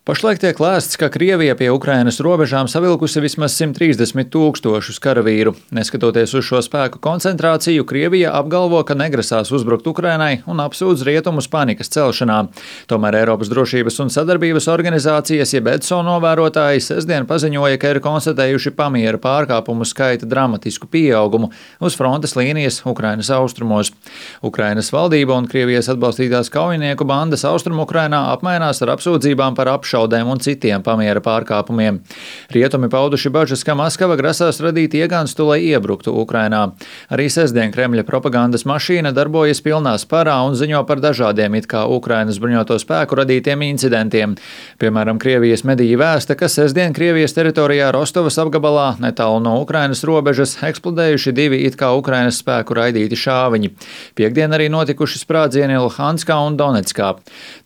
Pašlaik tiek lēsts, ka Krievija pie Ukrainas robežām savilkusi vismaz 130 000 karavīru. Neskatoties uz šo spēku koncentrāciju, Krievija apgalvo, ka negrasās uzbrukt Ukrainai un apsūdz rietumus panikas celšanā. Tomēr Eiropas drošības un sadarbības organizācijas jeb EDSO novērotāji sestdien paziņoja, ka ir konstatējuši pamiera pārkāpumu skaita dramatisku pieaugumu uz frontes līnijas Ukrainas austrumos. Ukrainas valdība un Krievijas atbalstītās kaujinieku bandas Austrumu-Ukrainā apmainās ar apsūdzībām par apšaudēm un citiem pamiera pārkāpumiem. Rietumi pauduši bažas, ka Maskava grasās radīt iegānstu, lai iebruktu Ukrainā. Arī sestdien Kremļa propagandas mašīna darbojas pilnā sparā un ziņo par dažādiem it kā Ukrainas bruņoto spēku radītiem incidentiem. Piemēram, Krievijas mediji vēsta, ka sestdien Krievijas teritorijā Rostovas apgabalā netālu no Ukrainas robežas eksplodējuši divi it kā Ukrainas spēku raidīti šāviņi. Piektdien arī notikuši sprādzieni Luhanskā un Donetskā.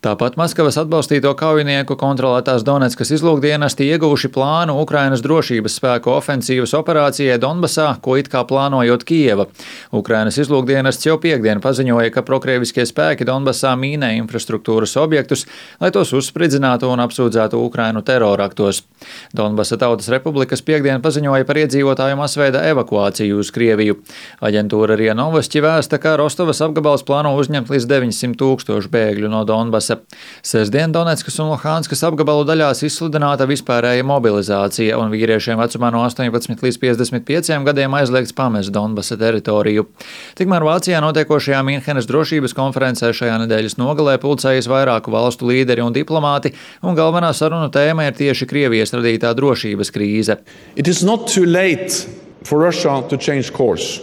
Tāpat Maskavas atbalstīto kaujinieku kontrolētās Donetskas izlūkdienesti ieguvuši plānu Ukrainas drošības spēku ofensīvas operācijai Donbasā, ko it kā plānojot Kijeva. Ukrainas izlūkdienests jau piektdien paziņoja, ka prokrieviskie spēki Donbasā mīnē infrastruktūras objektus, lai tos uzspridzinātu un apsūdzētu Ukrainu teroraktos. Donbasa Tautas Republikas piektdien paziņoja par iedzīvotāju masveida evakuāciju uz Krieviju. Aģentūra RIA Novosti vēsta, ka Rostovas apgabals plāno uzņemt līdz 900 000 bēgļu no Donbasa. Sestdien Donetskas un Luhanskas apgabalu daļās izsludināta vispārēja mobilizācija un vīriešiem vecumā no 18 līdz 55 gadiem aizliegts pamest Donbasa teritoriju. Tikmēr Vācijā notiekošajā Mīnhenes drošības konferencē šajā nedēļas nogalē pulcējas vairāku valstu līderi un diplomāti, un galvenā sarunu tēma ir tieši Krievijas radītā drošības krīze. It is not too late for Russia to change course.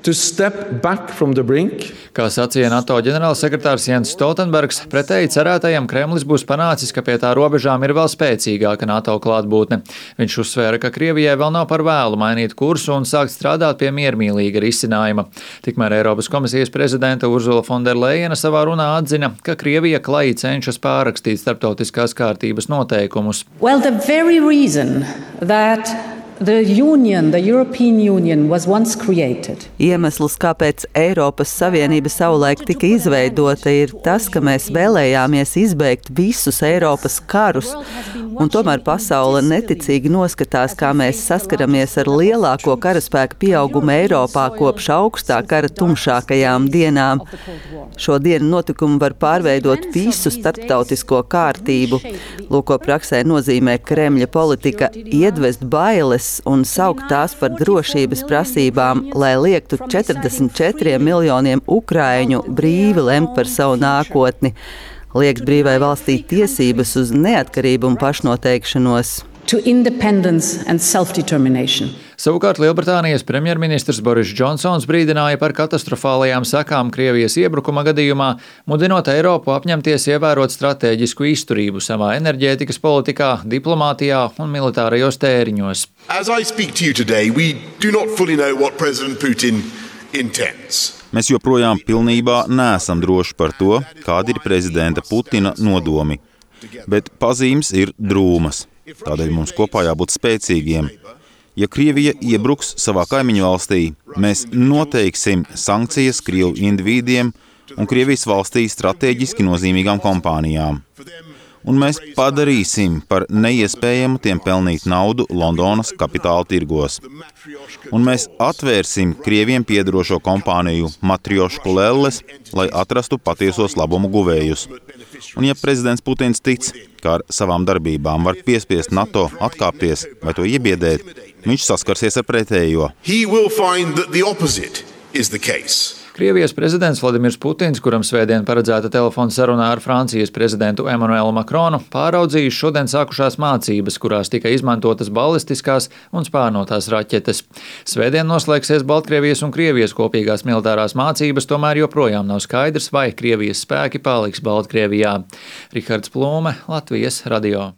To step back from the brink. Kā sacīja NATO ģenerālsekretārs Jens Stoltenbergs, pretēji cerētajam Kremlis būs panācis, ka pie tā robežām ir vēl spēcīgāka NATO klātbūtne. Viņš uzsvēra, ka Krievijai vēl nav par vēlu mainīt kursu un sākt strādāt pie miermīlīga risinājuma. Tikmēr Eiropas komisijas prezidente Ursula von der Leyena savā runā atzina, ka Krievija klaji cenšas pārrakstīt starptautiskās kārtības noteikumus. Well, the very reason that the European Union was once created. Iemesls, kāpēc Eiropas Savienība savulaik tika izveidota, ir tas, ka mēs vēlējāmies izbeigt visus Eiropas karus, un tomēr pasaule neticīgi noskatās, kā mēs saskaramies ar lielāko karaspēka pieaugumu Eiropā kopš augstā kara tumšākajām dienām. Šodien notikumi var pārveidot visu starptautisko kārtību. Lūk, ko praksē nozīmē Kremļa politika iedvest bailes un saukt tās par drošības prasībām, lai liektu 44 miljoniem ukraiņu brīvi lemt par savu nākotni, liekt brīvai valstī tiesības uz neatkarību un pašnoteikšanos. To independence and self-determination. Savukārt Lielbritānijas premjerministrs Boris Džonsons brīdināja par katastrofālajām sekām Krievijas iebrukuma gadījumā, mudinot Eiropu apņemties ievērot stratēģisku izturību savā enerģētikas politikā, diplomātijā un militārajos tēriņos. As I speak to you today, we do not fully know what President Putin intends. Mēs joprojām pilnībā neesam droši par to, kādi ir prezidenta Putina nodomi, bet pazīmes ir drūmas. Tādēļ mums kopā jābūt spēcīgiem. Ja Krievija iebruks savā kaimiņu valstī, mēs noteiksim sankcijas Krievu indivīdiem un Krievijas valstī strateģiski nozīmīgām kompānijām. Un mēs padarīsim par neiespējamu tiem pelnīt naudu Londonas kapitāla tirgos. Un mēs atvērsim Krieviem piederošo kompāniju matriošku lelles, lai atrastu patiesos labumu guvējus. Un ja prezidents Putins tic, ka ar savām darbībām var piespiest NATO atkāpties vai to iebiedēt, viņš saskarsies ar pretējo. Krievijas prezidents Vladimirs Putins, kuram svētdien paredzēta telefona sarunā ar Francijas prezidentu Emmanuelu Macronu, pāraudzījis šodien sākušās mācības, kurās tika izmantotas balistiskās un spārnotās raķetes. Svētdien noslēgsies Baltkrievijas un Krievijas kopīgās militārās mācības, tomēr joprojām nav skaidrs, vai Krievijas spēki paliks Baltkrievijā. Rihards Plūme, Latvijas radio.